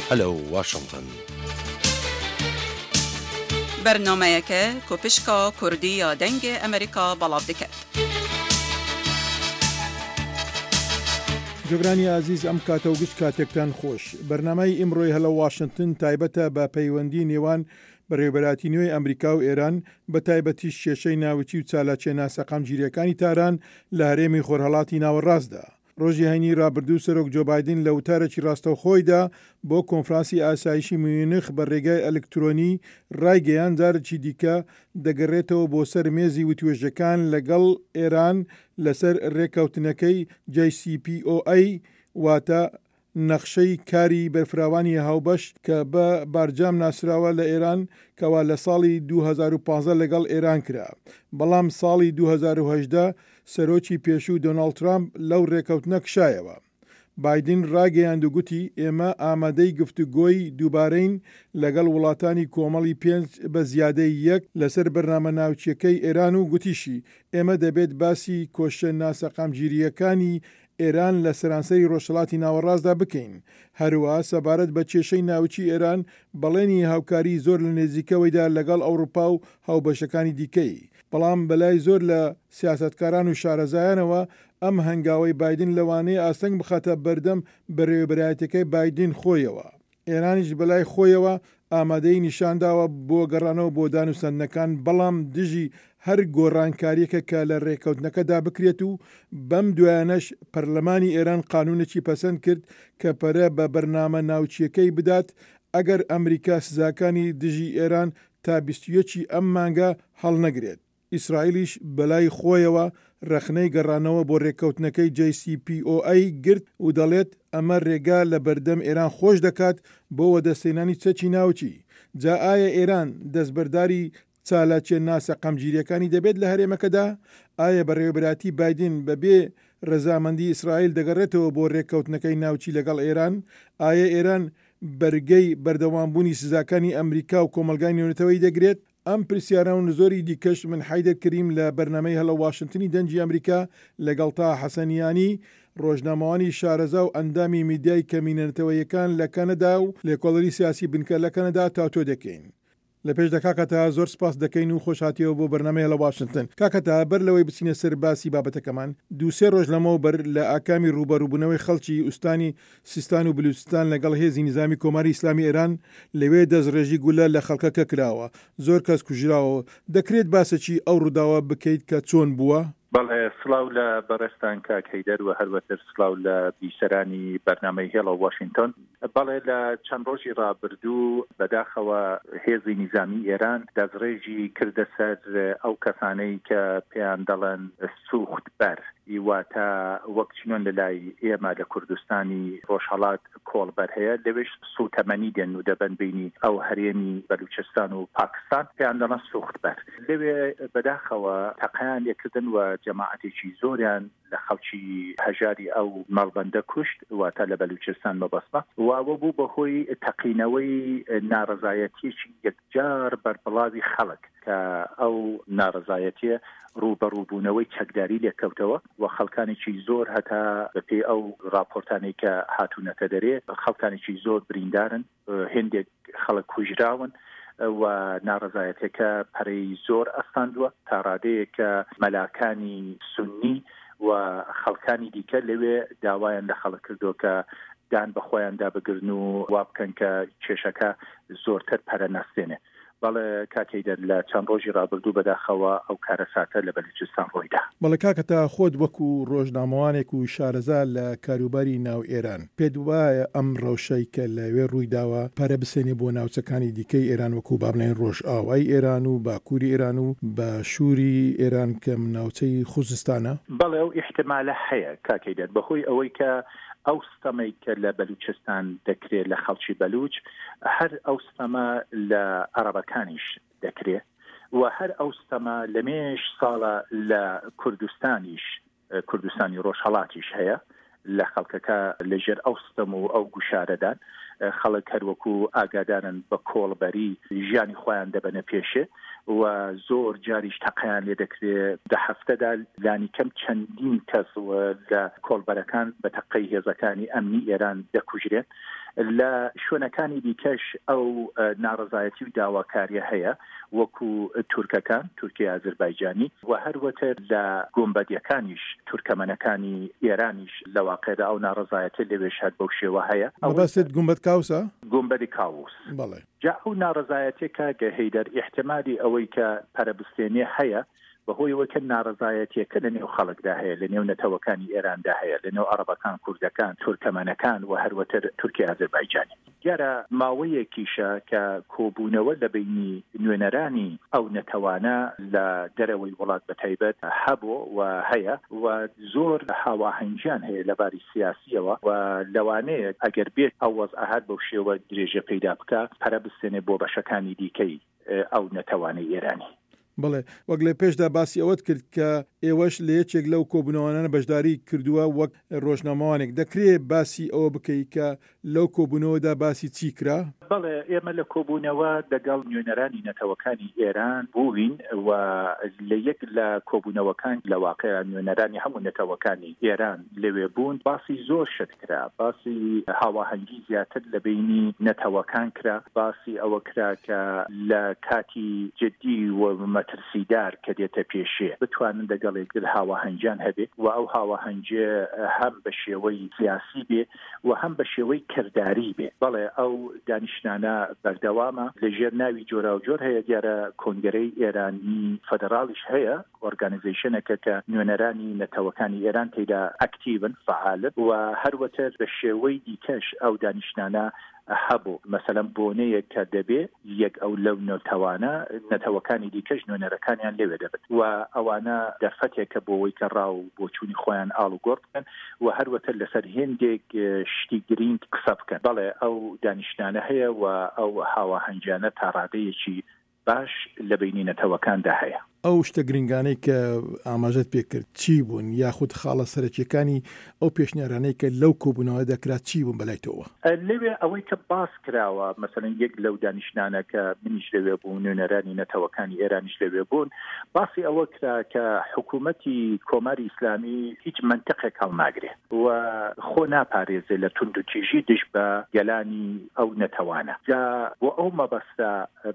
Hello Washington. Bernameyeke ku pişka Kurdî ya Dengê Amerîka belav diket. جوگرانی ئازیز ئەم کاتە و گشت کاتێکتان خۆش. بەرنامەی ئیمڕۆی هەلۆ واشنتن تایبەتە بە پەیوەندی نێوان بەڕێوەبەرایەتی نوێی ئەمریکا و ئێران، بە تایبەتیش کێشەی ناوکی و چالاکیە ناسەقامگیریەکانی تاران لە هەرێمی خۆرهەڵاتی ناوەڕاستدا. ڕۆژی هەینی ڕابردوو سەرۆک جۆ بایدن لە وتارێکی ڕاستەوخۆیدا بۆ کۆنفرانسی ئاسایشی میونخ بە ڕێگای ئەلکترۆنی ڕایگەیاند جارێکی دیکە دەگەڕێتەوە بۆ سەر مێزی وتوێژەکان لەگەڵ ئێران لەسەر ڕێککەوتنەکەی JCPOA واتە نەخشەی کاری بەرفراوانی هاوبەش کە بە بارجام ناسراوە لە ئێران کەوا لە ساڵی 2015 لەگەڵ ئێران کرا بەڵام ساڵی 2018 سەرۆکی پێشوو دۆناڵد ترامپ لەو رێکەوتنە کشایەوە. بایدن راگەیاند و گوتی ئێمە ئامادەی گفتوگۆی دووبارەین لەگەڵ وڵاتانی کۆمەڵی پێنج بە زیادەی یەک لەسەر بەرنامە ناوکییەکەی ئێران و گوتیشی ئێمە دەبێت باسی کۆششە ناسەقامگیرییەکانی ئێران لە سەرانسەری ڕۆژهەڵاتی ناوەڕاستدا بکەین. هەروەها سەبارەت بە کێشەی ناوکی ئێران بەڵێنی هاوکاریی زۆر لە نێزیکەوەیدا لەگەڵ ئەوڕوپا و هاوبەشەکانی دیکەی. بەڵام بەلای زۆر لە سیاسەتکاران و شارەزایانەوە ئەم هەنگاوەی بایدن لەوانەیە ئاستەنگ بخاتە بەردەم بەرێوەبەرایەتیەکەی بایدن خۆیەوە. ئێرانیش بەلای خۆیەوە ئامادەیی نیشانداوە بۆ گەڕانەوە بۆ دانوسەندنەکان، بەڵام دژی هەر گۆڕانکارییەکە کە لە رێککەوتنەکەدا بکرێت و بەم دوایانەش پەرلەمانی ئێران قانونێکی پەسەند کرد کە پەرە بە بەرنامە ناوکییەکەی بدات ئەگەر ئەمریکا سزاکانی دژی ئێران تا 21 ی ئەم مانگە هەڵنەگرێت. ئیسرائیلیش بەلای خۆیەوە رەخنەی گەڕانەوە بۆ رێککەوتنەکەی JCPOA گرت و دەڵێت ئەمە رێگا لە بەردەم ئێران خۆش دەکات بۆ وەدەستهێنانی چەکی ناوکی. جا ئایا ئێران دەستبەرداری چالاکیە ناسەقامگیریەکانی دەبێت لە هەرێمەکەدا؟ ئایا بەڕێوەبەرایەتی بایدن بە بێ رەزامەندی ئیسرائیل دەگەڕێتەوە بۆ رێککەوتنەکەی ناوکی لەگەڵ ئێران؟ ئایا ئێران بەرگەی بەردەوامبوونی سزاکانی ئەمریکا و کۆمەڵگای نێونەتەوەیی دەگرێت؟ ئەم پرسیارە و زۆری دیکەش من حەیدەر کەریم لە بەرنامەی هەلۆ واشنتنی دەنگی ئەمریکا لەگەڵ تاها حەسەنیانی، ڕۆژنامەوانی شارەزا و ئەندامی میدیای کەمینە نەتەوەییەکان لە کەنەدا و لێکۆڵەری سیاسی بنکە لە کەنەدا تاوتوێ دەکەین. لە پێشدا کاکە تاها زۆر سپاست دەکەین و خۆش هاتیەوە بۆ بەرنامەی هەلۆ واشنتن. کاکە تاها بەر لەوەی بچینە سەر باسی بابەتەکەمان، دوو سێ ڕۆژ لەمەو بەر لە ئاکامی ڕووبەڕووبوونەوەی خەڵکی ئوستانی سیستان و بلوچستان لەگەڵ هێزی نیزامی کۆماری ئیسلامی ئێران لەوێ دەستڕێژی گولە لە خەڵکەکە کراوە، زۆر کەس کوژراوە، دەکرێت باسێکی ئەو ڕووداوە بکەیت کە چۆن بووە؟ بەڵێ، سڵاو لە بەڕێزتان کاک هەیدەر و هەروەتر سڵاو لە بیسەرانی بەرنامەی هێڵۆ واشینتۆن. بەڵێ لە چەند ڕۆژی ڕابردوو بەداخەوە هێزی نیزامی ئێران دەستڕێژی کردە سەر ئەو کەسانەی کە پێیان دەڵێن سوخت بەر واتە وەک چنۆن لە لای ئێمە لە کوردستانی ڕۆژهەڵات کۆڵبەر هەیە لەوێش سوتەمەنی دێن و دەبەن بینی ئەو هەرێمی بەلوچستان و پاکستان پێیان دەڵێن سوخت بەر لەوێ بەداخەوە تەقەیان لێکردن و جەماعەتێکی زۆریان لە خەڵکی هەژاری ئەو مەڵبەندە کوشت واتە لە بەلوچستان مەبەستمە و ئەوە بوو بە هۆی تەقینەوەی ناڕەزایەتیەکی یەکجار بەربڵاوی خەڵک کە ئەو ناڕەزایەتیە ڕووبەڕووبوونەوەی چەکداری لێکەوتەوە و خەڵکانێکی زۆر هەتا بەپێی ئەو ڕاپۆرتانەی کە هاتوونەتە دەرێ خەڵکانێکی زۆر بریندارن هێندێک خەڵک کوژراون و ناڕەزایەتەکە پەرەی زۆر ئەستاندووە تا ڕادەیەک کە مەلاکانی سوننی و خەڵکانی دیکە لەوێ داوایان لە خەڵک کردووە کە دان بە خۆیاندا بگرن و وا بکەن کە کێشەکە زۆرتر پەرە نەستێنێ. بەڵێ کاک هەیدەر لە چەند ڕۆژی ڕابردوو بەداخەوە ئەو کارەساتە لە بەلوچستان ڕوویدا. بەڵێ کاکە تا خۆت وەکو ڕۆژنامەوانێک و شارەزا لە کاروباری ناو ئێران پێت وایە ئەم ڕەوشەی کە لەوێ ڕوویداوە پەرە بسێنێ بۆ ناوچەکانی دیکەی ئێران وەکو با بڵێین ڕۆژئاوای ئێران و باکوری ئێران و باشوری ئێران کە ناوچەی خوزستانە؟ بەڵێ ئەو ئیحتمالە هەیە کاک هەیدەر بەهۆی ئەوەی کە ئەو ستەمەی کە لە بەلوچستان دەکرێ لە خەڵکی بەلوچ هەر ئەو ستەمە لە عەڕەبەکانیش دەکرێ و هەر ئەو ستەمە لە مێژ ساڵە لە کوردستانیش کوردستانی ڕۆژهەڵاتیش هەیە لە خەڵکەکە لە ژێر ئەو ستەم و ئەو گوشارەدان خەڵک هەروەکو ئاگادارن بە کۆڵبەری ژیانی خۆیان دەبەنە پێشێ و زۆر جاریش تەقەیان لێ دەکرێ دە هەفتەدا لانیکەم چەندین کەس لە کۆڵبەرەکان بە تەقەی هێزەکانی ئەمنی ئێران دەکوژرێن. لە شوێنەکانی دیکەش ئەو ناڕەزایەتی و داواکاریە هەیە وەکو تورکەکان، تورکی ئازربایجانی، و هەروەتر لە گۆمبەدیەکانیش، تورکەمەنەکانی ئێرانیش لە واقعدا ئەو ناڕەزایەتیە لەوێش هەر بەو شێوە هەیە. مەبەستت گومبەد کاوسە؟ گومبەدی کاووس. بەڵێ. جا ئەو ناڕەزایەتیە کاک هەیدەر ئیحتمالی ئەوەی کە پەرەبستێنێ هەیە بە هۆی ئەوەی کە ناڕەزایەتیەکە لە نێو خەڵکدا هەیە، لە نێو نەتەوەکانی ئێراندا هەیە، لە نێو عەڕەبەکان، کوردەکان، تورکەمەنەکان و هەروەتر تورکی ئازربایجانی. دیارە ماوەیەکیشە کە کۆبوونەوە لە بەینی نوێنەرانی ئەو نەتەوانە لە دەرەوەی وڵات بە تایبەت هەبوو و هەیە و زۆر هاواهەنگیان هەیە لە باری سیاسییەوە و لەوانەیە ئەگەر بێت ئەو وەزعە هەر بەو شێوە درێژە پەیدا بکا پەرە بستێنێ بۆ بەشەکانی دیکەی ئەو نەتەوانەی ئێرانی. بەڵێ، وەک لە پێشدا باسی ئەوەت کرد کە ئێوەش لە یەکێک لەو کۆبوونەوانە بەشداری کردووە وەک ڕۆژنامەوانێک، دەکرێ باسی ئەوە بکەی کە لەو کۆبوونەوەدا باسی چی کرا؟ بەڵێ، ئێمە لە کۆبوونەوە دەگەڵ نوێنەرانی نەتەوەکانی ئێران بووین و لە یەک لە کۆبوونەوەکان لە واقع نوێنەرانی هەموو نەتەوەکانی ئێران لەوێ بوون، باسی زۆر شت کرا، باسی هاواهەنگی زیاتر لە بەینی نەتەوەکان کرا، باسی ئەوە کرا کە لە کاتی جدی و مەترسیدار کە دێتە پێشێ بتوانن دەگەڵ یەکتر هاواهەنگیان هەبێ و ئەو هاواهەنگیە هەم بە شێوەی سیاسی بێ و هەم بە شێوەی کرداری بێ. بەڵێ ئەو دانیشتنانە بەردەوامە لە ژێر ناوی جۆراوجۆر هەیە، دیارە کۆنگرەی ئێرانی فەدەراڵیش هەیە، ئۆرگانیزەیشنێکە کە نوێنەرانی نەتەوەکانی ئێران تێیدا ئەکتیڤن، فەعالن، و هەروەتر بە شێوەی دیکەش ئەو دانیشتنانە هەبوو. مەسەلەن بۆنەیەک کە دەبێ یەک ئەو لەو نەتەوانە، نەتەوەکانی دیکەش نوێنەرەکانیان لەوێ دەبن و ئەوانە دەرفەتێکە بۆ وەی کە ڕا و بۆچوونی خۆیان ئاڵوگۆڕ بکەن و هەروەتر لەسەر هێندێک شتی گرینگ قسە بکەن. بەڵێ ئەو دانیشتنانە هەیە و ئەو هاواهەنگیانە تا ڕادەیەکی باش لە بەینی نەتەوەکاندا هەیە. ئەو شتە گرنگانەی کە ئاماژەت پێ کرد چی بوون یاخود خاڵە سەرەکییەکانی ئەو پێشنیارانەی کە لەو کۆبوونەوەدا کرا چی بوون بەلای تۆوە؟ لەوێ ئەوەی کە باس کراوە، مەسەلەن یەک لەو دانیشتنانە کە منیش لەوێ بووم، نوێنەرانی نەتەوەکانی ئێرانیش لەوێ بوون، باسی ئەوە کرا کە حکوومەتی کۆماری ئیسلامی هیچ مەنتقێک هەڵناگرێ و خۆ ناپارێزێ لە توندوتیژی دژ بە گەلانی ئەو نەتەوانە. جا بۆ ئەو مەبەستە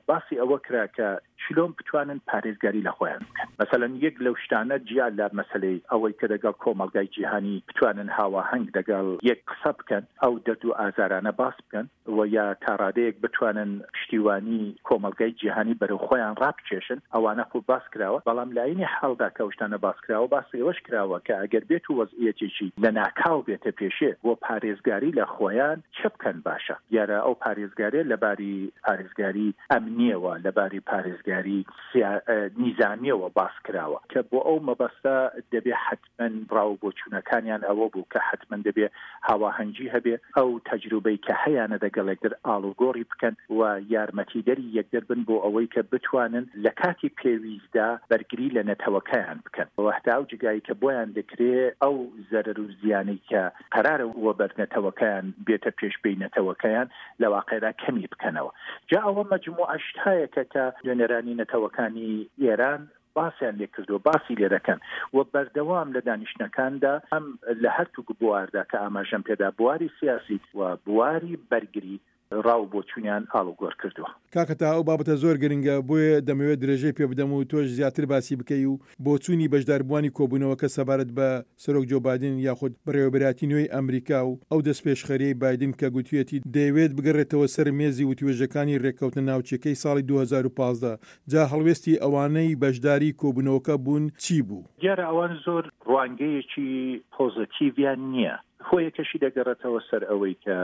باسی ئەوە کرا کە چلۆن بتوانن پارێزگاری لە خۆیان بکەن. مەسەلەن یەک لەو شتانە جیا لە مەسەلەی ئەوەی کە دەگەڵ کۆمەڵگای جیهانی بتوانن هاواهەنگ دەگەڵ یەک قسە بکەن، ئەو دەرد و ئازارانە باس بکەن و یا تا ڕادەیەک بتوانن پشتیوانی کۆمەڵگای جیهانی بەرەو خۆیان ڕابکێشن، ئەوانە خۆ باس کراوە. بەڵام لە عەینی حاڵدا کە ئەو شتانە باس کراوە، باسی ئەوەش کراوە کە ئەگەر بێتو وەزعیەتێکی لەناکاو بێتە پێشێ بۆ پارێزگاری لە خۆیان، چ بکەن باشە؟ دیارە ئەو پارێزگاریە لە باری پارێزگاری ئەمنیەوە، لە باری پارێزگاری نیزامیەوە باس کراوە کە بۆ ئەو مەبەستە دەبێ حەتمەن ڕا و بۆچوونەکانیان ئەوە بوو کە حەتمەن دەبێ هاواهەنگی هەبێ، ئەو تەجروبەی کە هەیانە دەگەڵ یەکتر ئاڵوگۆڕی بکەن و یارمەتیدەری یەکتر بن بۆ ئەوەی کە بتوانن لە کاتی پێویستدا بەرگری لە نەتەوەکەیان بکەن و هەتا ئەو جگای کە بۆیان دەکرێ ئەو زەرەر و زیانەی کە قەرارە وەبەر نەتەوەکەیان بێتە پێش پێی نەتەوەکەیان لە واقعدا کەمی بکەنەوە. جا ئەوە مەجموعە شتایەکە کە نوێنەرانی نەتەوەکانی ئێران باسیان لێ کردووە، باسی لێ دەکەن و بەردەوام لە دانیشتنەکاندا هەم لە هەرتووک بواردا کە ئاماژەم پێدا بواری سیاسی و بواری بەرگری ڕا و بۆچوونیان ئاڵوگۆر کردووە. کاکە تاها ئەو بابەتە زۆر گرنگە بۆیە دەمەوێت درێژەی پێ بدەم و تۆش زیاتر باسی بکەی و بۆچوونی بەشداربووانی کۆبوونەوەکە سەبارەت بە سەرۆک جۆ بایدن یاخود بەڕێوەبەرایەتی نوێی ئەمریکا و ئەو دەستپێشخەریەی بایدن کە گوتویەتی دەیەوێت بگەڕێتەوە سەر مێزی وتوێژەکانی رێککەوتنە ناوچیەکەی ساڵی 2015 جا هەڵوێستی ئەوانەی بەشداری کۆبوونەوەکە بوون چی بوو؟ دیارە ئەوان زۆر ڕوانگەیەکی پۆزەتیڤیان نییە هۆیەکەشی دەگەڕێتەوە سەر ئەوەی کە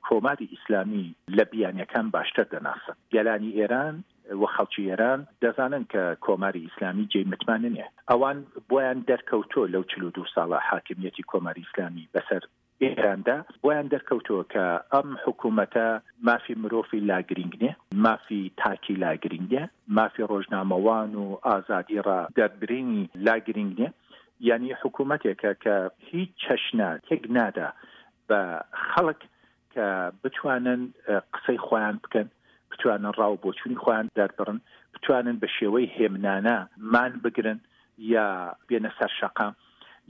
کۆماری ئیسلامی لە بیانیەکان باشتر دەناسن. گەلانی ئێران و خەڵکی ئێران دەزانن کە کۆماری ئیسلامی جێی متمانە نیە. ئەوان بۆیان دەرکەوتووە لەو 42 ساڵە حاکمیەتی کۆماری ئیسلامی بەسەر ئێراندا بۆیان دەرکەوتووە کە ئەم حکوومەتە مافی مرۆڤی لا گرینگ نیە، مافی تاکی لا گرینگ نیە، مافی ڕۆژنامەوان و ئازادی ڕا دەربرینی لا گرینگ نیە. یانی حکوومەتێکە کە هیچ چەشنە تێک نادا بە خەڵک کە بتوانن قسەی خۆیان بکەن، بتوانن ڕا و بۆچوونی خۆیان دەربڕن، بتوانن بە شێوەی هێمنانە مان بگرن یا بێنە سەر شەقام.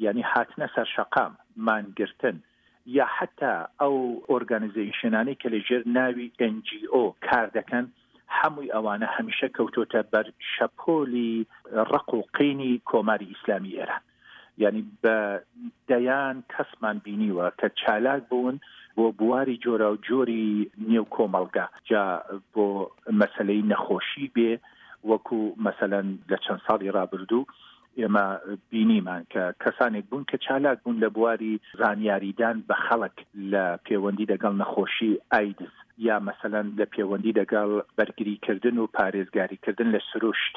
یانی هاتنە سەر شەقام، مانگرتن. یا حەتا ئەو ئۆرگانیزەیشنانەی کە لە ژێر ناوی ئێن جی ئۆ کار دەکەن هەمووی ئەوانە هەمیشە کەوتۆتە بەر شەپۆلی ڕق و قینی کۆماری ئیسلامی ئێران. یانی بە دەیان کەسمان بینیوە کە چالاک بوون بۆ بواری جۆراوجۆری نێو کۆمەڵگا جا بۆ مەسەلەی نەخۆشی بێ وەکو مەسەلەن لە چەند ساڵی ڕابردوو ئێمە بینیمان کە کەسانێک بوون کە چالاک بوون لە بواری زانیاریدان بە خەڵک لە پێوەندی دەگەڵ نەخۆشی ئایدز یا مەسەلەن لە پێوەندی دەگەڵ بەرگری کردن و پارێزگاری کردن لە سروشت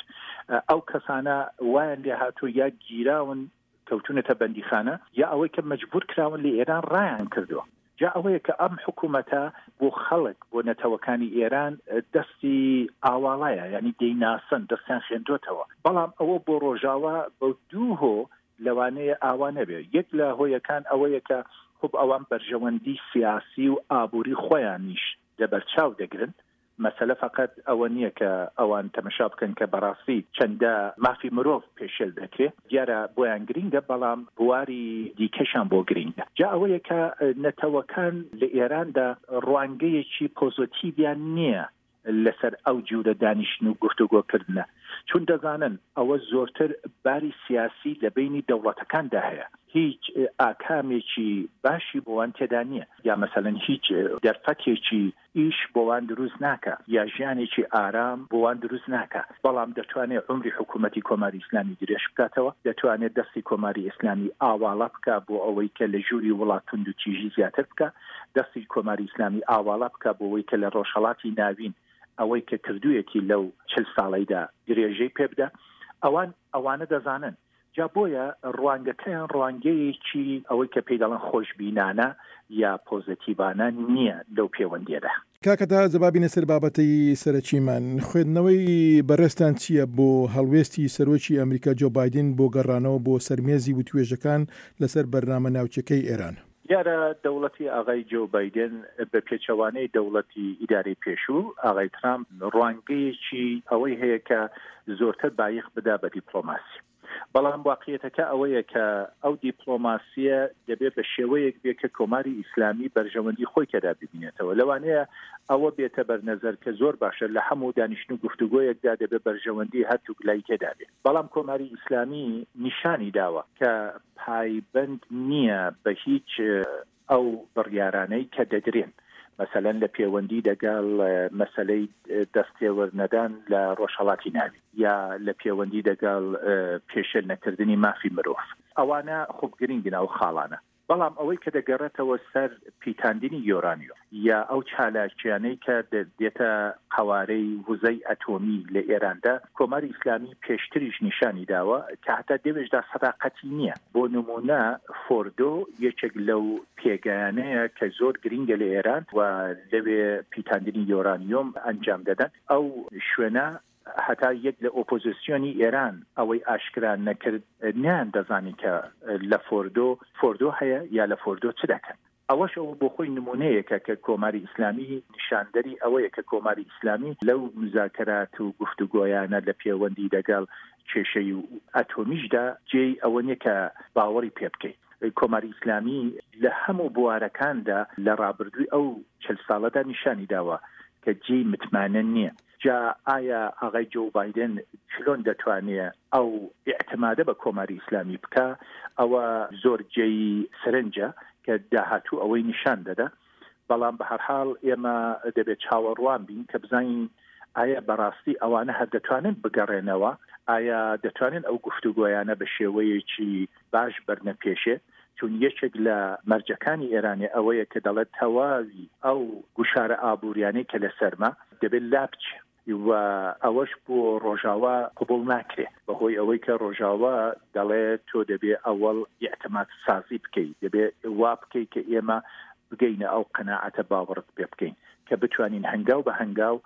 ئەو کەسانە وایان لێ هاتوو یا گیراون کەوتونەتە بەندیخانە یا ئەوەی کە مەجبور کراون لە ئێران ڕایان کردووە. جا ئەوەیە کە ئەم حکوومەتە بۆ خەڵک بۆ نەتەوەکانی ئێران دەستی ئاواڵایە یانی دەیناسن دەستیان خوێندۆتەوە بەڵام ئەوە بۆ ڕۆژاوا بە دوو هۆ لەوانەیە ئاوا نەبێ یەک لە هۆیەکان ئەوەیە کە خوب ئەوان بەرژەوەندی سیاسی و ئابووری خۆیانیش لەبەرچاو دەگرن مەسەلە فەقەت ئەوە نییە کە ئەوان تەمەشا بکەن کە بەڕاستی چەندە مافی مرۆڤ پێشێل دەکرێ، دیارە بۆیان گرینگە، بەڵام بواری دیکەشیان بۆ گرینگە. جا ئەوەیە کە نەتەوەکان لە ئێراندا ڕوانگەیەکی پۆزۆتیڤیان نییە لەسەر ئەو جورە دانیشتن و گفتوگۆ کردنە، چون دەزانن ئەوە زۆرتر باری سیاسی لە بەینی دەوڵەتەکاندا هەیە، هیچ ئاکامێکی باشی بۆوان تێدا نییە، یا مەسەلەن هیچ دەرفەتێکی ئیش بۆ وان دروست ناکا یا ژیانێکی ئارام بۆ وان دروست ناکا، بەڵام دەتوانێ عومری حکوومەتی کۆماری ئیسلامی درێژ بکاتەوە، دەتوانێ دەستی کۆماری ئیسلامی ئاواڵە بکا بۆ ئەوەی کە لە ژووری وڵات توندوتیژی زیاتر بکا، دەستی کۆماری ئیسلامی ئاواڵە بکا بۆ وەی کە لە ڕۆژهەڵاتی ناوین ئەوەی کە کردوویەتی لەو چل ساڵەیدا درێژەی پێ بدا. ئەوان ئەوانە دەزانن. جا بۆیە ڕوانگەکەیان ڕوانگەیەکی ئەوەی کە پێی دەڵێن خۆشبینانە یا پۆزەتیڤانە نییە لەو پێوەندییەدا. کاکە تا جا با بینە سەر بابەتەی سەرەکیمان، خوێندنەوەی بەڕێزتان چییە بۆ هەڵوێستی سەرۆکی ئەمریکا جۆ بایدن بۆ گەڕانەوە بۆ سەر مێزی وتوێژەکان لەسەر بەرنامە ناوکیەکەی ئێران؟ دیارە دەوڵەتی ئاغای جۆ بایدن بە پێچەوانەی دەوڵەتی ئیدارەی پێشوو، ئاغای ترامپ ڕوانگەیەکی ئەوەی هەیە کە زۆرتر بایخ بدا بە دیپڵۆماسی. بەڵام واقعیەتەکە ئەوەیە کە ئەو دیپڵۆماسییە دەبێ بە شێوەیەک بێ کە کۆماری ئیسلامی بەرژەوەندی خۆی تێدا ببینێتەوە. لەوانەیە ئەوە بێتە بەر نەزەر کە زۆر باشە لە هەموو دانیشتن و گفتوگۆیەکدا دەبێ بەرژەوەندی هەردووک لای تێدا بێ. بەڵام کۆماری ئیسلامی نیشانی داوە کە پایبەند نییە بە هیچ ئەو بڕیارانەی کە دەدرێن، مەسەلەن لە پێوەندی دەگەڵ مەسەلەی دەستێوەرنەدان لە ڕۆژهەڵاتی ناوین یا لە پێوەندی دەگەڵ پێشێل نەکردنی مافی مرۆڤ. ئەوانە خوب گرینگن ئەو خاڵانە. بەڵام ئەوەی کە دەگەڕێتەوە سەر پیتاندنی یۆرانیۆم یا ئەو چالاکیانەی کە دێتە قەوارەی وزەی ئەتۆمی لە ئێراندا، کۆماری ئیسلامی پێشتریش نیشانی داوە کە هەتا دەوێشدا سەداقەتی نییە. بۆ نموونە فۆردۆ یەکێک لەو پێگایانەیە کە زۆر گرینگە لە ئێران و لەوێ پیتاندنی یۆرانیۆم ئەنجام دەدەن. ئەو شوێنە هەتا یەک لە ئۆپۆزیسیۆنی ئێران ئەوەی ئاشکرا نەکرد نەیان دەزانی کە لە فۆردۆ فۆردۆ هەیە یا لە فۆردۆ چ دەکەن. ئەوەش ئەوە بۆ خۆی نموونەیەکە کە کۆماری ئیسلامی نیشاندەری ئەوەیە کە کۆماری ئیسلامی لەو موزاکەرات و گفتوگۆیانە لە پێوەندی دەگەڵ کێشەی ئەتۆمیشدا جێی ئەوە نیە کە باوەڕی پێ بکەی. کۆماری ئیسلامی لە هەموو بوارەکاندا لە ڕابردووی ئەو چل ساڵەدا نیشانی داوە کە جێی متمانە نیە. جا ئایا ئاغای جۆو بایدن چلۆن دەتوانێ ئەو ئیعتمادە بە کۆماری ئیسلامی بکا، ئەوە زۆر جێی سرنجە کە داهاتوو ئەوەی نیشان دەدا. بەڵام بە هەرحاڵ ئێمە دەبێ چاوەڕوان بین کە بزانین ئایا بەڕاستی ئەوانە هەر دەتوانن بگەڕێنەوە، ئایا دەتوانن ئەو گفتوگۆیانە بە شێوەیەکی باش بەرنە پێشێ، چون یەکێک لە مەرجەکانی ئێرانێ ئەوەیە کە دەڵێت تەواوی ئەو گوشارە ئابووریانەی کە لەسەرمە دەبێت لابچێ و ئەوەش بۆ ڕۆژاوا قبوڵ ناکرێ بەهۆی ئەوەی کە ڕۆژاوا دەڵێ تۆ دەبێ ئەوەڵ ئیعتماد سازی بکەی، دەبێ وا بکەی کە ئێمە بگەینە ئەو قەناعەتە باوەڕت پێ بکەین کە بتوانین هەنگاو بە هەنگاو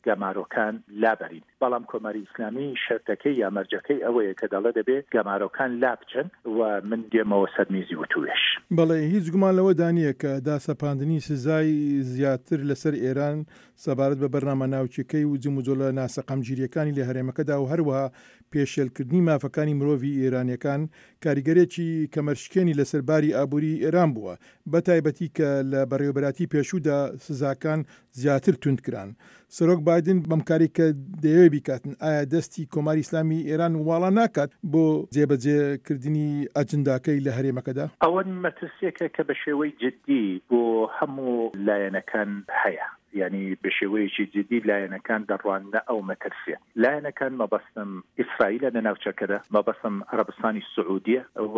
گەمارۆکان لابەرین، بەڵام کۆماری ئیسلامی شەرتەکەی یا مەرجەکەی ئەوەیە کە دەڵێ دەبێ گەمارۆکان لابچن و من دێمەوە سەر میزی وتووێژ. بەڵێ، هیچ گومان لەوەدا نییە کە داسەپاندنی سزای زیاتر لەسەر ئێران سەبارەت بە بەرنامە ناوکییەکەی و جموجۆڵە ناسەقامگیرییەکانی لە هەرێمەکەدا و هەروەها پێشێلکردنی مافەکانی مرۆڤی ئێرانییەکان کاریگەریی کەمەرشکێنی لەسەر باری ئابووریی ئێران بووە، بەتایبەتی کە لە بەڕێوەبەرایەتی پێشوودا سزاکان زیاتر توند کران. سەرۆک بایدن بەم کارەی کە دەیەوێت بیکاتن، ئایا دەستی کۆماری ئیسلامی ئێران واڵا ناکات بۆ جێبەجێ کردنی ئەجنداکەی لە هەرێمەکەدا؟ ئەوە مەترسیەکە کە بە شێوەی جدی بۆ هەموو لایەنەکان هەیە، یانی بە شێوەیەکی جدی لایەنەکان دەڕواننە ئەو مەترسیە. لایەنەکان مەبەستم ئیسرائیلە لە ناوچەکەدا، مەبەستم عەرەبستانی سعودیە و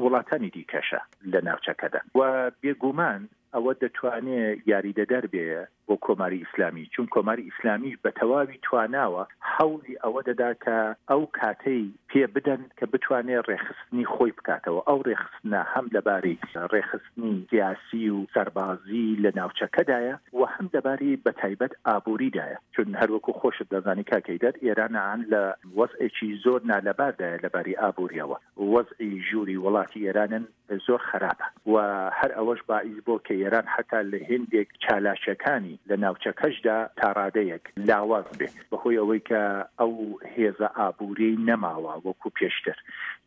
وڵاتانی دیکەشە لە ناوچەکەدا و بێگومان ئەوە دەتوانێ یاریدەدەر بێ بۆ کۆماری ئیسلامی، چون کۆماری ئیسلامیش بە تەواوی تواناوە هەوڵی ئەوە دەدا کە ئەو کاتەی پێ بدەن کە بتوانێ ڕێکخستنی خۆی بکاتەوە، ئەو ڕێکخستنە هەم لەباری ڕێکخستنی سیاسی و سەربازی لە ناوچەکەدایە و هەم لەباری بەتایبەت ئابووریدایە، چون هەر وەکوو خۆشت دەزانی کاک هەیدەر ئێران لە وەزعێکی زۆر نالەباردایە لەباری ئابوورییەوە، وەزعی ژووری وڵاتی ئێرانن زۆر خەراپە و هەر ئەوەش باعیس بۆ کە ئێران حەتا لە هێندێک چالاکیەکانی لە ناوچەکەشدا تا ڕادەیەک لاواز بێ بە هۆی ئەوەی کە ئەو هێزە ئابووریەی نەماوە وەکوو پێشتر.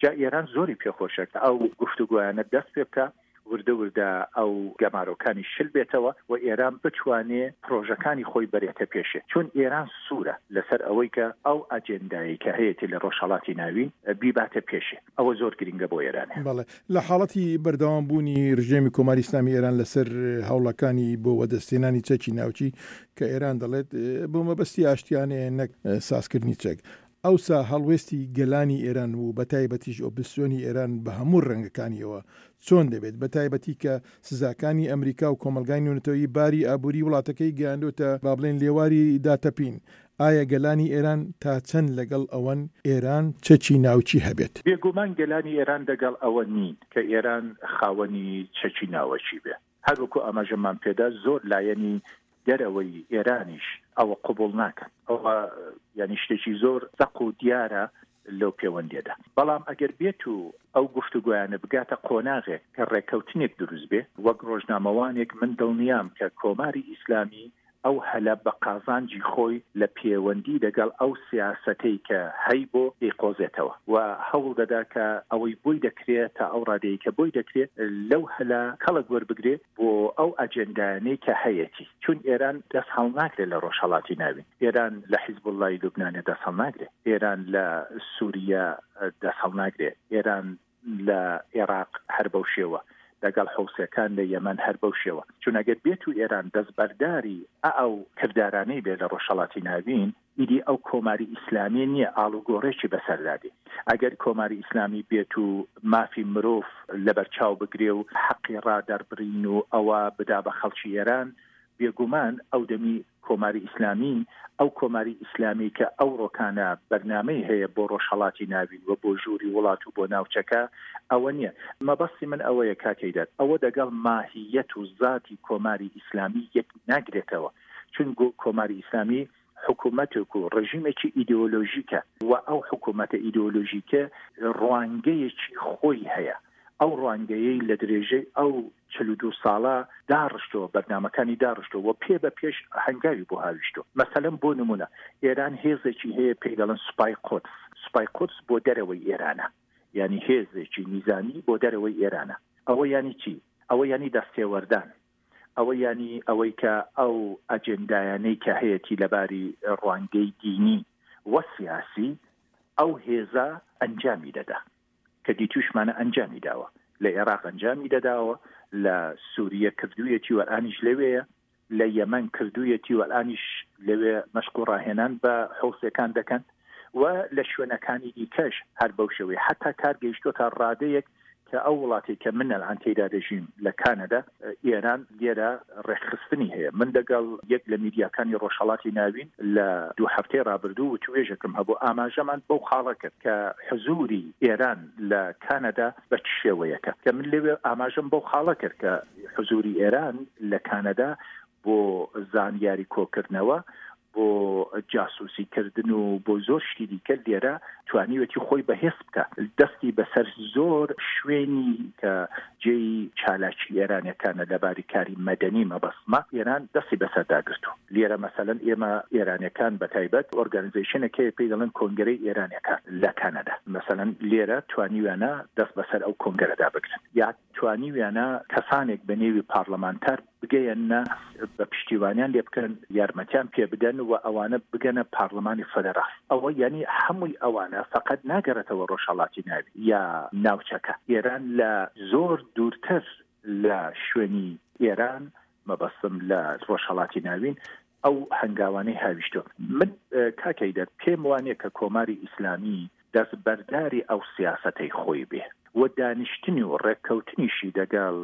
جا ئێران زۆری پێ خۆشە کە ئەو گفتوگۆیانە دەست پێ بکا وردە وردە ئەو گەمارۆکانی شل بێتەوە و ئێران بتوانێ پرۆژەکانی خۆی بەرێتە پێشێ چون ئێران سوورە لەسەر ئەوەی کە ئەو ئەجێندایەی کە هەیەتی لە ڕۆژهەڵاتی ناوین بیباتە پێشێ. ئەوە زۆر گرینگە بۆ ئێرانێ. بەڵێ. لە حاڵەتی بەردەوام بوونی رژێمی کۆماری ئیسلامی ئێران لە سەر هەوڵەکانی بۆ وەدەستهێنانی چەکی ناوکی کە ئێران دەڵێت بۆ مەبەستی ئاشتیانەیە نەک سازکردنی چەک، ئەوسا هەڵوێستی گەلانی ئێران و بەتایبەتیش ئۆپزسیۆنی ئێران بە هەموو رەنگەکانیەوە چۆن دەبێت بەتایبەتی کە سزاکانی ئەمریکا و کۆمەڵگای نێونەتەوەیی باری ئابووری وڵاتەکەی گەیاندۆتە با بڵێین لێواری داتەپین، ئایا گەلانی ئێران تا چەند لەگەڵ ئەوەن ئێران چەکی ناوکی هەبێت؟ بێگومان گەلانی ئێران دەگەڵ ئەوە نین کە ئێران خاوەنی چەکی ناوەکی بێ. هەر وەکوو ئاماژەمان پێدا زۆر لایەنی دەرەوەی ئێرانیش ئەوە قبووڵ ناکەن. ئەوە یانی شتێکی زۆر زەق و دیارە لەو پێوەندییەدا. بەڵام ئەگەر بێت و ئەو گفتوگۆیانە بگاتە قۆناغێک کە ڕێککەوتنێک دروست بێ، وەک ڕۆژنامەوانێک من دڵنیام کە کۆماری ئیسلامی ئەو هەلە بە قازانجی خۆی لە پێوەندی دەگەڵ ئەو سیاسەتەی کە هەیبۆ دەیقۆزێتەوە و هەوڵ دەدا کە ئەوەی بۆی دەکرێ تا ئەو ڕادەیەی کە بۆی دەکرێ لەو هەلە کەڵک وەربگرێ بۆ ئەو ئەجێندایانەی کە هەیەتی. چون ئێران دەست هەڵناگرێ لە ڕۆژهەڵاتی ناوین، ئێران لە حیزبوڵڵای لوبنانێ دەست هەڵناگرێ، ئێران لە سووریە دەست هەڵناگرێ، ئێران لە ئێراق هەر بەو شێوە، لەگەڵ حوسیەکان لە یەمەن هەر بەو شێوە. چون ئەگەر بێت و ئێران دەستبەرداری ئه و کردارانەی بێ لە ڕۆژهەڵاتی ناوین، ئیدی ئەو کۆماری ئیسلامیە نییە، ئاڵوگۆڕێکی بەسەردا دێ. ئەگەر کۆماری ئیسلامی بێت و مافی مرۆڤ لەبەرچاو بگرێ و حەقی ڕادەربڕین و ئەوە بدا بە خەڵکی ئێران، بێگومان ئەو دەمی کۆماری ئیسلامی ئەو کۆماری ئیسلامی کە ئەوڕۆکانە بەرنامەی هەیە بۆ ڕۆژهەڵاتی ناوین و بۆ ژووری وڵات و بۆ ناوچەکە ئەوە نییە. مەبەستی من ئەوەیە کاک هەیدەر ئەوە دەگەڵ ماهییەت و زاتی کۆماری ئیسلامی یەک ناگرێتەوە چون کۆماری ئیسلامی حکوومەتێک و ڕژیمێکی ئیدئۆلۆژیکە و ئەو حکوومەتە ئیدئۆلۆژیکە ڕوانگەیەکی خۆی هەیە ئەو ڕوانگەیەی لە درێژەی ئەو 42 ساڵە داڕشتەوە، بەرنامەکانی داڕشتەوە و پێ بە پێش هەنگاوی بۆ هاویشتوە. مەسەلەن بۆ نموونە ئێران هێزێکی هەیە پێی دەڵێن سوپای قودس. سوپای قودس بۆ دەرەوەی ئێرانە. یانی هێزێکی نیزامی بۆ دەرەوەی ئێرانە. ئەوە یانی چی؟ ئەوە یانی دەستێوەردان. ئەوە یانی ئەوەی کە ئەو ئەجێندایانەی کە هەیەتی لەباری ڕوانگەی دینی و سیاسی ئەو هێزە ئەنجامی دەدا. کە دیتوشمانە ئەنجامی داوە لە ئێراق ئەنجامی دەداوە لە سووریە کردوویەتی و ئەلئانیش لەوێیە لە یەمەن کردوویەتی و ئەلئانیش لەوێ مەشق و ڕاهێنان بە حوسەکان دەکەن و لە شوێنەکانی دیکەش هەر بەو شێوەیە حتا کار گەیشتۆتە ڕادەیەک کە ئەو وڵاتێک کە من ئەلئان تێیدا دەژیم لە کانەدا ئێران لێرە ڕێکخستنی هەیە. من دەگەڵ یەک لە میدیاکانی ڕۆژهەڵاتی ناوین لە دوو هەفتەی ڕابردوو وتوێژێکم هەبوو، ئاماژەمان بەو خاڵە کرد کە حزووری ئێران لە کانەدا بە چ شێوەیەکە. کە من لەوێ ئاماژەم بەو خاڵە کرد کە حزووری ئێران لە کانەدا بۆ زانیاری کۆکردنەوە، بۆ جاسوسی کردن و بۆ زۆر شتی دیکە لێرە توانیوێتی خۆی بەهێز بکا دەستی بەسەر زۆر شوێنی کە جێی چالاکی ئێرانیەکانە لە باری کاری مەدەنی مەبەستمە ئێران دەستی بەسەردا گرتوو. لێرە مەسەلەن ئێمە ئێرانیەکان بە تایبەت ئۆرگانیزەیشنێک هەیە پێی دەڵێن کۆنگرەی ئێرانیەکان لە کەنەدا مەسەلەن لێرە توانیویانە دەست بەسەر ئەو کۆنگرەدا بگرن یا توانیویانە کەسانێک بە نێوی پارلەمانتار بگەیەننە بە پشتیوانیان لێ بکەن یارمەتیان پێ بدەن و ئەوانە بگەنە پارلەمانی فەدەراڵ ئەوە یانی هەمووی ئەوانە فەقەت ناگەڕێتەوە ڕۆژهەڵاتی ناوی یا ناوچەکە ئێران لە زۆر دوورتر لە شوێنی ئێران مەبەستم لە ڕۆژهەڵاتی ناوین ئەو هەنگاوانەی هاویشتوە. من کاک هەیدەر پێم وانیە کە کۆماری ئیسلامی دەستبەرداری ئەو سیاسەتەی خۆی بێ و دانیشتنی و ڕێککەوتنیشی دەگەڵ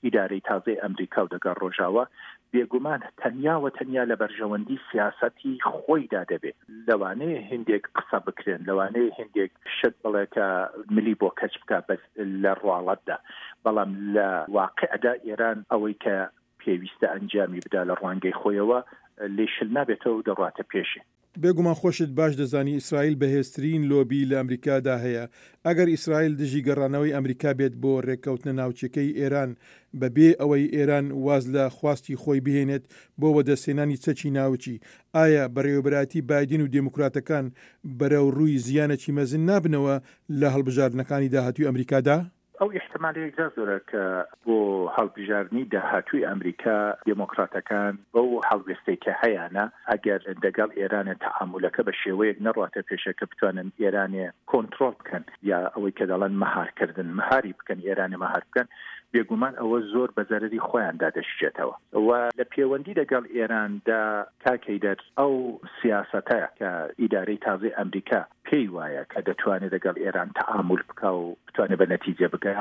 ئیدارەی تازەی ئەمریکا و دەگەڵ ڕۆژاوا بێگومان تەنیا و تەنیا لە بەرژەوەندی سیاسەتی خۆیدا دەبێ. لەوانەیە هیندێک قسە بکرێن، لەوانەیە هیندێک شت بڵێ کە ملی بۆ کەچ بکا بەس لە ڕواڵەتدا، بەڵام لە واقعدا ئێران ئەوەی کە پێویستە ئەنجامی بدا لە ڕوانگەی خۆیەوە لێی شل نابێتەوە و دەڕواتە پێشێ. بێگومان خۆشت باش دەزانی ئیسرائیل بەهێزترین لۆبی لە ئەمریکادا هەیە، ئەگەر ئیسرائیل دژی گەڕانەوەی ئەمریکا بێت بۆ رێککەوتنە ناوچیەکەی ئێران بە بێ ئەوەی ئێران واز لە خواستی خۆی بهێنێت بۆ وەدەستهێنانی چەکی ناوکی، ئایا بەڕێوەبەرایەتی بایدن و دێموکراتەکان بەرەو رووی زیانێکی مەزن نابنەوە لە هەڵبژاردنەکانی داهاتووی ئەمریکادا؟ ئەو ئیحتمالە یەکجار زۆرە کە بۆ هەڵبژاردنی داهاتووی ئەمریکا دێمۆکڕاتەکان بەو هەڵوێستەی کە هەیانە ئەگەر دەگەڵ ئێرانێ تەعامولەکە بە شێوەیەک نەڕواتە پێشێ کە بتوانن ئێرانێ کۆنتڕۆڵ بکەن یا ئەوەی کە دەڵێن مەهار کردن مەهاری بکەن ئێرانێ مەهار بکەن بێگومان ئەوە زۆر بە زەرەری خۆیاندا دەشچێتەوە و لە پێوەندی دەگەڵ ئێراندا کاک هەیدەر ئەو سیاسەتە کە ئیدارەی تازەی ئەمریکا پێی وایە کە دەتوانێت دەگەڵ ئێران تەعامول بکا و بتوانێت بە نەتیجە بگا،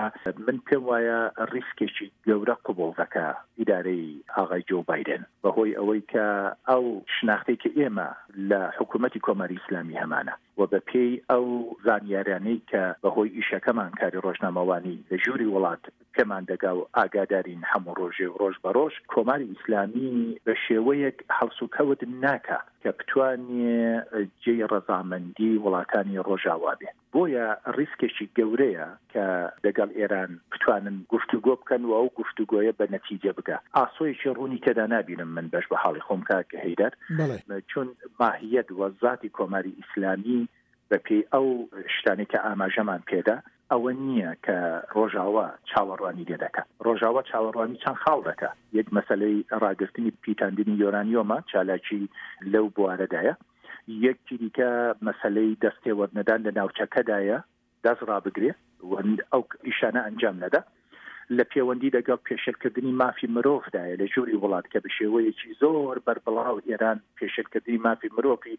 من پێم وایە ڕیسکێکی گەورە قبوڵ دەکا ئیدارەی ئاغای جۆو بایدن بە هۆی ئەوەی کە ئەو شناختەی کە ئێمە لە حکوومەتی کۆماری ئیسلامی هەمانە و بە پێی ئەو زانیارانەی کە بە هۆی ئیشەکەمان کاری ڕۆژنامەوانی لە ژووری وڵات پێمان دەگا و ئاگادارین هەموو ڕۆژێ و ڕۆژ بە ڕۆژ کۆماری ئیسلامی بە شێوەیەک هەڵسوکەوت ناکا کە بتوانێ جێی ڕەزامەندی وڵاتانی ڕۆژاوا بێ. بۆیە ڕیسکێکی گەورەیە کە دەگەڵ ئێران بتوانن گفتوگۆ بکەن و ئەو گفتوگۆیە بە نەتیجە بگا. ئاسۆیەکی ڕوونی تێدا نابینم من بەش بە حاڵی خۆم کاک هەیدەر، چون ماهیەت و زاتی کۆماری ئیسلامی بە پێی ئەو شتانەی کە ئاماژەمان پێدا ئەوە نییە کە ڕۆژاوا چاوەڕوانی لێ دەکا. ڕۆژاوا چاوەڕوانی چەند خاڵ دەکا. یەک مەسەلەی ڕاگرتنی پیتاندنی یۆرانیۆمە، چالاکی لەو بوارەدایە. یەکی دیکە مەسەلەی دەستێوەرنەدان لە ناوچەکەدایە، دەست ڕابگرێ و ئەو ئیشانە ئەنجام نەدا. لە پێوەندی دەگەڵ پێشێلکردنی مافی مرۆڤدایە لە ژووری وڵات کە بە شێوەیەکی زۆر بەربڵاو ئێران پێشێلکردنی مافی مرۆڤی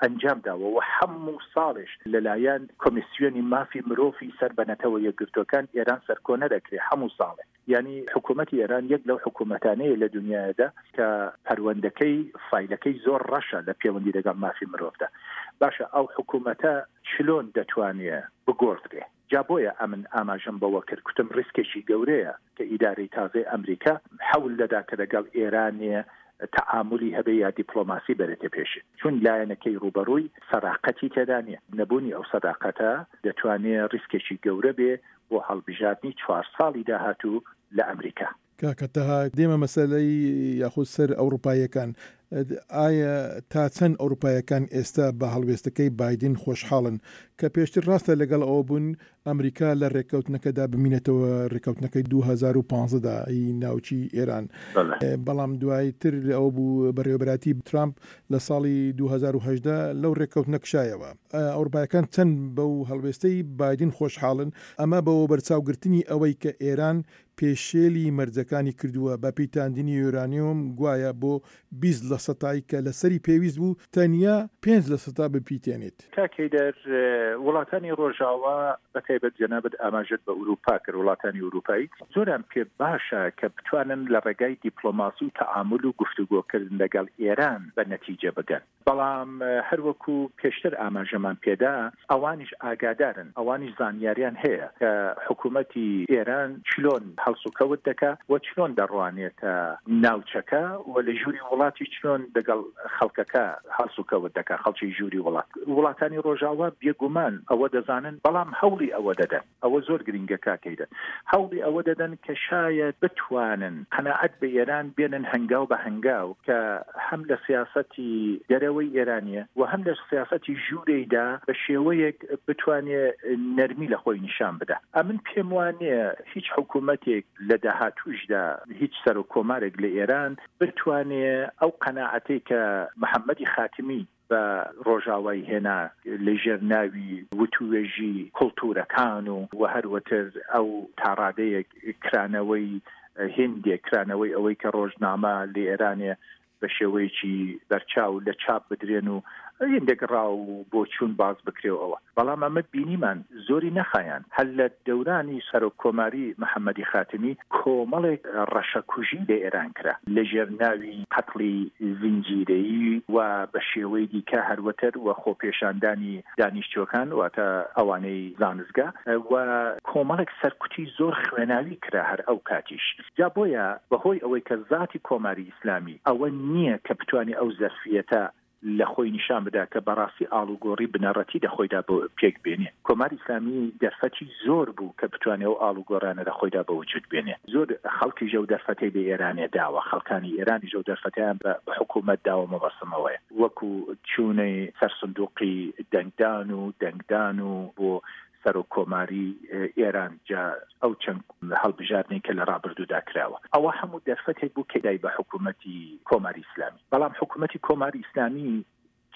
ئەنجام داوە و هەموو ساڵێش لەلایەن کۆمیسیۆنی مافی مرۆڤی سەر بە نەتەوە یەکگرتووەکان ئێران سەرکۆنە دەکرێ هەموو ساڵێ. یانی حکوومەتی ئێران یەک لەو حکوومەتانەیە لە دنیادا کە پەروەندەکەی فایلەکەی زۆر ڕەشە لە پێوەندی دەگەڵ مافی مرۆڤدا. باشە ئەو حکوومەتە چلۆن دەتوانێ بگۆڕدرێ؟ جا بۆیە ئەمن ئاماژەم بەوە کرد کوتم ڕیسکێکی گەورەیە کە ئیدارەی تازەی ئەمریکا حەول دەدا کە دەگەڵ ئێرانێ تەعامولی هەبێ یا دیپڵۆماسی بەرێتە پێشێ چون لایەنەکەی ڕووبەڕووی سەداقەتی تێدا نییە. نەبوونی ئەو سەداقەتە دەتوانێ ڕیسکێکی گەورە بێ بۆ هەڵبژاردنی چوار ساڵی داهاتوو لە ئەمریکا. کاکە تەها دێمە مەسەلەی یاخود سەر ئەوڕوپاییەکان ئایا تا چەند ئەوروپایەکان ئێستا بە هەڵوێستەکەی بایدن خۆشحاڵن کە پێشتر ڕاستە لەگەڵ ئەوە بوون ئەمریکا لە ڕێککەوتنەکەدا بمینێتەوە ڕێککەوتنەکەی 2015 دا ی ناوکی ئێران بەڵام دوایتر ئەوە بوو بەڕێوەبەرایەتی ترامپ لە ساڵی 2018 لەو ڕێککەوتنە کشایەوە. ئەوروپایەکان چەند بەو هەڵوێستەی بایدن خۆشحاڵن، ئەمە بە وەبەرچاوگرتنی ئەوەی کە ئێران پێشێلی مەرجەکانی کردووە بە پیتاندنی یۆرانیۆم گوایە بۆ 20 لەسەتای کە لەسەری پێویست بوو تەنیا پێنج لەسەتا بپیتێنێت. کاک هەیدەر، وڵاتانی ڕۆژاوا بە تایبەت جەنابت ئاماژەت بە ئورووپا کرد، وڵاتانی ئورووپایی زۆریان پێ باشە کە بتوانن لە ڕێگای دیپڵۆماسی و تەعامول و گفتوگۆ کردن لەگەڵ ئێران بە نەتیجە بگەن. بەڵام هەر وەکو پێشتر ئاماژەمان پێدا ئەوانیش ئاگادارن، ئەوانیش زانیاریان هەیە کە حکوومەتی ئێران چلۆن هەڵسوکەوت دەکا و چلۆن دەڕوانێتە ناوچەکە و لە ژووری وڵاتیش چلۆن. چۆن دەگەڵ خەڵکەکە هەڵسوکەوت دەکا، خەڵکی ژووری وڵات. وڵاتانی ڕۆژاوا بێگومان ئەوە دەزانن، بەڵام هەوڵی ئەوە دەدەن. ئەوە زۆر گرینگە کاک هەیدەر. هەوڵی ئەوە دەدەن کە شایەد بتوانن قەناعەت بە ئێران بێنن هەنگاو بە هەنگاو کە هەم لە سیاسەتی دەرەوەی ئێرانیە و هەم لە سیاسەتی ژوورێیدا بە شێوەیەک بتوانێ نەرمی لە خۆی نیشان بدا. ئەمن پێم وا نییە هیچ حکوومەتێک لە داهاتووشدا هیچ سەرۆک کۆمارێک لە ئێران بتوانێ ئەو قەناعەتەی کە محەممەدی خاتمی بە ڕۆژاوای هێنا لە ژێر ناوی وتووێژی کوڵتوورەکان و و هەروەتر ئەو تاڕادەیەک کرانەوەی هیندێک کرانەوەی ئەوەی کە ڕۆژنامە لە ئێرانێ بە شێوەیەکی بەرچاو لە چاپ بدرێن و هێندێک ڕا و بۆچوون باس بکرێ و ئەوە. بەڵام ئەمە بینیمان زۆری نەخایاند. هەر لە دەورانی سەرۆک کۆماری محەمەدی خاتمی کۆمەڵێک ڕەشەکوژی لە ئێران کرا لە ژێر ناوی قەتڵی زنجیرەیی و بە شێوەی دیکە هەروەتر و خۆپێشاندانی دانیشتووەکان واتە ئەوانەی زانستگا و کۆمەڵێک سەرکوتی زۆر خوێناوی کرا هەر ئەو کاتیش. جا بۆیە بە هۆی ئەوەی کە زاتی کۆماری ئیسلامی ئەوە نییە کە بتوانێ ئەو زەرفییەتە لە خۆی نیشان بدا کە بەڕاستی ئاڵوگۆڕی بنەڕەتی دە خۆیدا بۆ پێک بێنێ. کۆماری ئیسلامی دەرفەتی زۆر بوو کە بتوانێ ئەو ئاڵوگۆڕانە لە خۆیدا بە وجوود بێنێ. زۆر خەڵکیش ئەو دەرفەتەی بە ئێرانێ داوە، خەڵکانی ئێرانیش ئەو دەرفەتەیان بە حکوومەت داوە مەبەستم ئەوەیە وەکوو چوونەی سەر سندووقی دەنگدان و دەنگدان و بۆ سەرۆک کۆماری ئێران جا ئەو چەند هەڵبژاردنەی کە لە ڕابردوودا کراوە ئەوە هەموو دەرفەتێک بوو کە دای بە حکوومەتی کۆماری ئیسلامی بەڵام حکوومەتی کۆماری ئیسلامی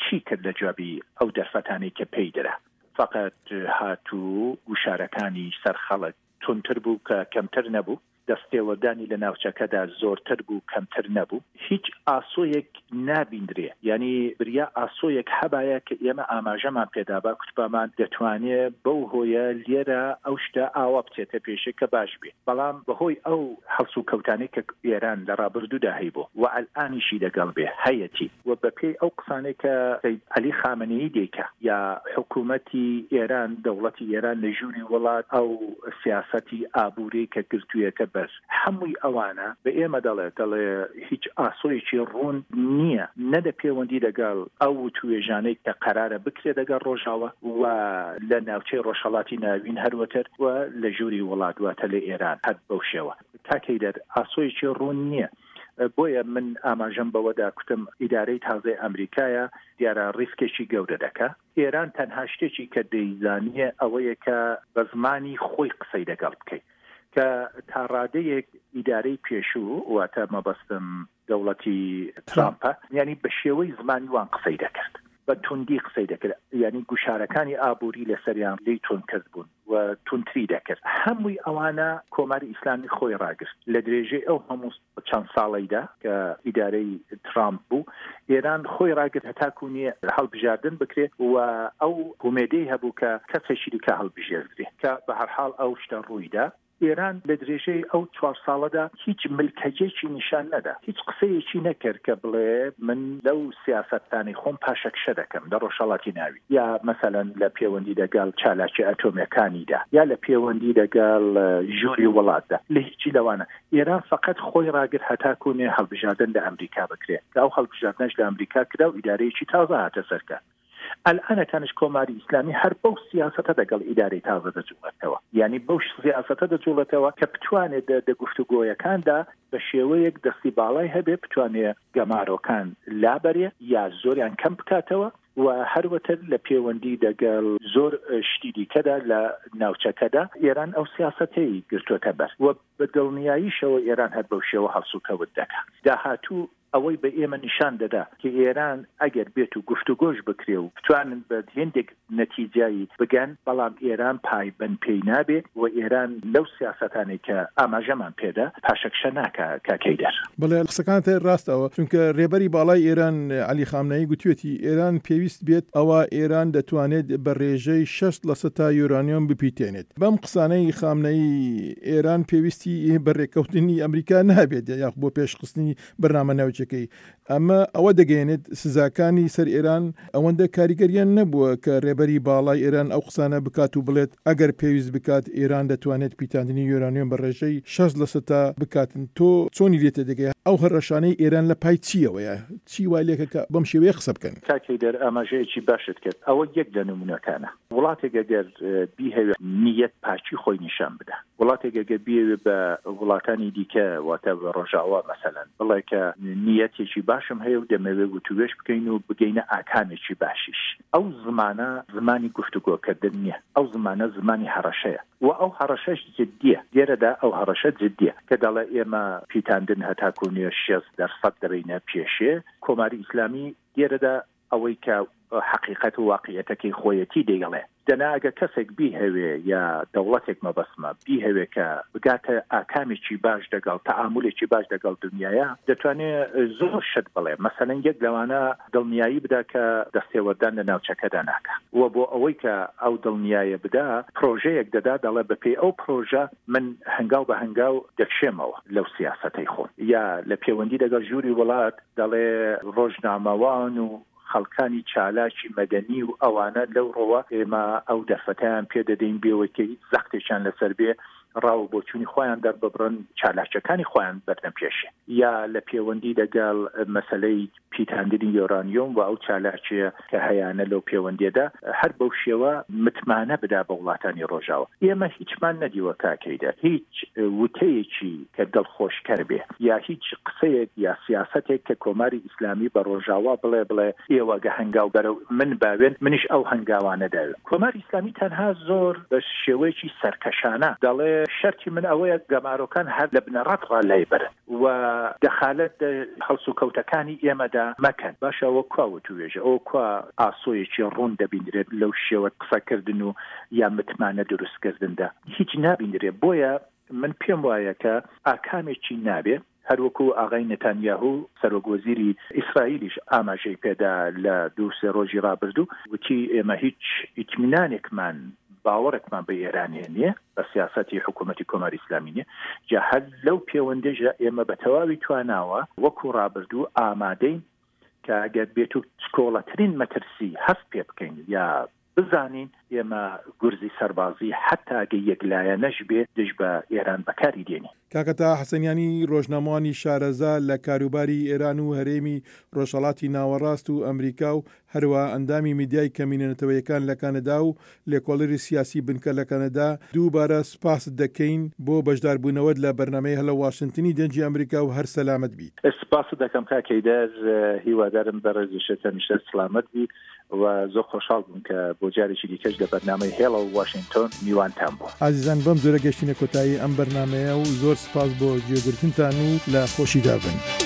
چی کرد لە جوابی ئەو دەرفەتانەی کە پێی درا فقط هات و گوشارەکانی سەر خەڵک توندتر بوو کە کەمتر نەبوو دەستێوەردانی لە ناوچەکەدا زۆرتر بوو کەمتر نەبوو. هیچ ئاسۆیەک نابیندرێ، یانی بریا ئاسۆیەک هەبایە کە ئێمە ئاماژەمان پێدابا کوتبامان دەتوانێ بەو هۆیە لێرە ئەو شتە ئاوا بچێتە پێشێ کە باش بێ، بەڵام بە هۆی ئەو هەڵسوکەوتانەی کە ئێران لە ڕابردوودا هەیبوو و ئەلئانیشی دەگەڵ بێ هەیەتی و بە پێی ئەو قسانەی کە سەید عەلی خامنەیی دەیکا یا حکوومەتی ئێران، دەوڵەتی ئێران لە ژووری وڵات ئەو سیاسەتی ئابووری کە گرتوویەتە بەر، هەمووی ئەوانە بە ئێمە دەڵێ، دەڵێ هیچ ئاسۆیەکی ڕوون نییە نە لە پێوەندی دەگەڵ ئەو وتووێژانەی کە قەرارە بکرێ دەگەڵ ڕۆژاوا و لە ناوچەی ڕۆژهەڵاتی ناوین هەروەتر و لە ژووری وڵات واتە لە ئێران هەر بەو شێوە. کاک هەیدەر ئاسۆیەکی ڕوون نییە. بۆیە من ئاماژەم بەوەدا کوتم ئیدارەی تازەی ئەمریکایە دیارە ڕیسکێکی گەورە دەکا. ئێران تەنها شتێکی کە دەیزانیە ئەوەیە کە بە زمانی خۆی قسەی دەگەڵ بکەی کە تا ڕادەیەک ئیدارەی پێشوو واتە مەبەستم دەوڵەتی ترامپە یانی بە شێوەی زمانی وان قسەی دەکرد بە توندی قسەی دەکرد یانی گوشارەکانی ئابووری لەسەریان لی تون کرد بوون و توندتری دەکرد هەمووی ئەوانە کۆماری ئیسلامی خۆی ڕاگرت لە درێژەی ئەو هەموو چەند ساڵەیدا کە ئیدارەی ترامپ بوو ئێران خۆی ڕاگرت هەتاکوو نییە هەڵبژاردن بکرێت و ئەو هومێدەی هەبوو کە کەسێکی دیکە هەڵبژێردرێ کە بە هەرحاڵ ئەو شتە ڕوویدا. ئێران لە درێژەی ئەو چوار ساڵەدا هیچ ملکەجێکی نیشان نەدا، هیچ قسەیەکی نەکرد کە بڵێ من لەو سیاسەتانەی خۆم پاشەکشە دەکەم لە ڕۆژهەڵاتی ناوین یا مەسەلەن لە پێوەندی دەگەڵ چالاکیە ئەتۆمیەکانیدا یا لە پێوەندی دەگەڵ ژووری وڵاتدا لە هیچی لەوانە ئێران فەقەت خۆی ڕاگرت هەتاکوو نێ هەڵبژاردن لە ئەمریکا بکرێ کە ئەو هەڵبژاردنەش لە ئەمریکا کرا و ئیدارەیەکی تازە هاتە سەر کار. ئەلئانەکانیش کۆماری ئیسلامی هەر بەو سیاسەتە دەگەڵ ئیدارەی تازە دەجووڵێتەوە. یانی بەو سیاسەتە دەجووڵێتەوە کە بتوانێ دە دە گفتوگۆیەکاندا بە شێوەیەک دەستی باڵای هەبێ بتوانێ گەمارۆکان لابەرێ یا زۆریان کەم بکاتەوە و هەروەتر لە پێوەندی دەگەڵ زۆر شتی دیکەدا لە ناوچەکەدا ئێران ئەو سیاسەتەی گرتۆتە بەر و بە دڵنیاییشەوە ئێران هەر بەو شێوە هەڵسوکەوت دەکا. داهاتوو ئەوەی بە ئێمە نیشان دەدا کە ئێران ئەگەر بێت و گفتوگۆش بکرێ و بتوانن بە هێندێک نەتیجەی بگەن، بەڵام ئێران پایبەند پێی نابێ و ئێران لەو سیاسەتانەی کە ئاماژەمان پێدا پاشەکشە ناکا کاک هەیدەر. بەڵێ قسەکانت ڕاستە ئەوە چونکە رێبەری باڵای ئێران عەلی خامنەیی گوتوێتی ئێران پێویست بێت ئەوا ئێران دەتوانێت بە رێژەی 60 لەسەتا یۆرانیۆم بپیتێنێت. بەم قسانەی خامنەیی ئێران پێویستی بە رێککەوتنی ئەمریکا نابێت یاخ بۆ پێشخستنی بەرنامە ناوچەکەی ئەمە ئەوە دەگەیەنێت سزاکانی سەر ئێران ئەوەندە کاریگەریان نەبووە کە رێبەری باڵای ئێران ئەو قسانە بکات و بڵێت ئەگەر پێویست بکات ئێران دەتوانێت پیتاندنی یۆرانیۆم بە ڕێژەی 60 لەسەتا بکاتن تۆ چۆنی لێ تێدەگەی؟ ئەو هەڕەشانەی ئێران لە پای چییەوەیە؟ چی وای لێکە کە بەم شێوەیە قسە بکەن؟ کاک حەیدەر ئاماژەیەکی باشت کرد، ئەوە یەک لە نموونەکانە. وڵاتێک ئەگەر بیهەوێ نییەت پاکی خۆی نیشان بدا، وڵاتێک ئەگەر بیەوێ بە وڵاتانی دیکە واتە بە ڕۆژاوا مەسەلەن بڵێ کە نییەتێکی باشم هەیە و دەمەوێ وتووێژ بکەین و بگەینە ئاکامێکی باشیش، ئەو زمانە زمانی گفتوگۆکردن نییە، ئەو زمانە زمانی هەڕەشەیە و ئەو هەڕەشەش جدییە، لێرەدا ئەو هەڕەشە جدییە کە دەڵێ ئێمە پیتاندن هەتاکوو نوێ 60% دەبەینە پێشێ، کۆماری ئیسلامی لێرەدا ئەوەی کە حەقیقەت و واقیعەتەکەی خۆیەتی دەیڵێ. دەنا ئەگەر کەسێک بیهەوێ یا دەوڵەتێک مەبەستمە بیهەوێ کە بگاتە ئاکامێکی باش دەگەڵ تەعامولێکی باش دەگەڵ دنیایا دەتوانێ زۆر شت بڵێ مەسەلەن یەک لەوانە دڵنیایی بدا کە دەستێوەردان لە ناوچەکەدا ناکا و بۆ ئەوەی کە ئەو دڵنیایە بدا پرۆژەیەک دەدا دەڵێ بە پێی ئەو پرۆژە من هەنگاو بە هەنگاو دەکشێمەوە لەو سیاسەتەی خۆم یا لە پێوەندی دەگەڵ ژووری وڵات دەڵێ ڕۆژنامەوان و خەڵکانی چالاکی مەدەنی و ئەوانە لەو ڕۆوە ئێمە ئەو دەرفەتەیان پێ دەدەین بێوەی کە هیچ زەختێکیان لەسەر بێ ڕا و بۆچوونی خۆیان دەرببڕن، چالاکیەکانی خۆیان بەرنە پێشێ. یا لە پێوەندی دەگەڵ مەسەلەی پیتاندنی یۆرانیۆم و ئەو چالاکیە کە هەیانە لەو پێوەندیەدا هەر بەو شێوە متمانە بدا بە وڵاتانی ڕۆژاوا. ئێمە هیچمان نەدیوە کاک هەیدەر هیچ وتەیەکی کە دڵخۆشکەر بێ یا هیچ قسەیەک یا سیاسەتێک کە کۆماری ئیسلامی بە ڕۆژاوا بڵێ بڵێ ئێوە گە هەنگاو بەرەو من باوێن منیش ئەو هەنگاوانە داوێم. کۆماری ئیسلامی تەنها زۆر بە شێوەیەکی سەرکەشانە دەڵێ شەرتی من ئەوەیە گەمارۆکان هەر لە بنەڕەت ڕا لای بەرن و دەخالەت دە هەڵسوکەوتەکانی ئێمەدا مەکەن. باشە ئەوە کوا وتووێژە؟ ئەوە کوا ئاسۆیەکی ڕوون دەبیندرێت لەو شێوە قسەکردن و یا متمانە دروستکردندا؟ هیچ نابیندرێ. بۆیە من پێم وایە کە ئاکامێکی نابێ، هەروەکو ئاغای نەتانیاهو سەرۆک وەزیری ئیسرائیلیش ئاماژەی پێدا لە دوو سێ ڕۆژی ڕابردوو وتی ئێمە هیچ ئیتمینانێکمان باوەڕێکمان بە ئێرانێ نییە بە سیاسەتی حکوومەتی کۆماری ئیسلامی نییە جا هەر لەو پێوەندەشدا ئێمە بە تەواوی تواناوە وەکو ڕابردوو ئامادەین کە ئەگەر بێتو چکۆڵەترین مەترسی هەست پێ بکەین یا بزانین ئێمە گورزی سەربازی حەتا گە یەکلایەنەش بێ دژ بە ئێران بەکاری دێنین. کاکە تەها حەسەنیانی ڕۆژنامەوانی شارەزا لە کاروباری ئێران و هەرێمی ڕۆژهەڵاتی ناوەڕاست و ئەمریکا و هەروەها ئەندامی میدیای کەمینە نەتەوەیەکان لە کەنەدا و لێکۆڵەری سیاسی بنکە لە کەنەدا دووبارە سوپاست دەکەین بۆ بەشداربوونەوەت لە بەرنامەی هەلە واشنتنی دەنگی ئەمریکا و هەر سەلامەت بیت. سپاست دەکەم کاک هەیدەر، هیوادارم بەڕێزیشت هەمیشە سڵامەت بی. و زۆر خۆشحاڵ بووم کە بۆ جارێکی دیکەش لە بەرنامەی هێڵە و واشینگتۆن میوانتان بووم. ئازیزان بەم جۆرە گەشتینە کۆتایی ئەم بەرنامەیە و زۆر سپاس بۆ گوێگرتنتان و لە خۆشیدا بن.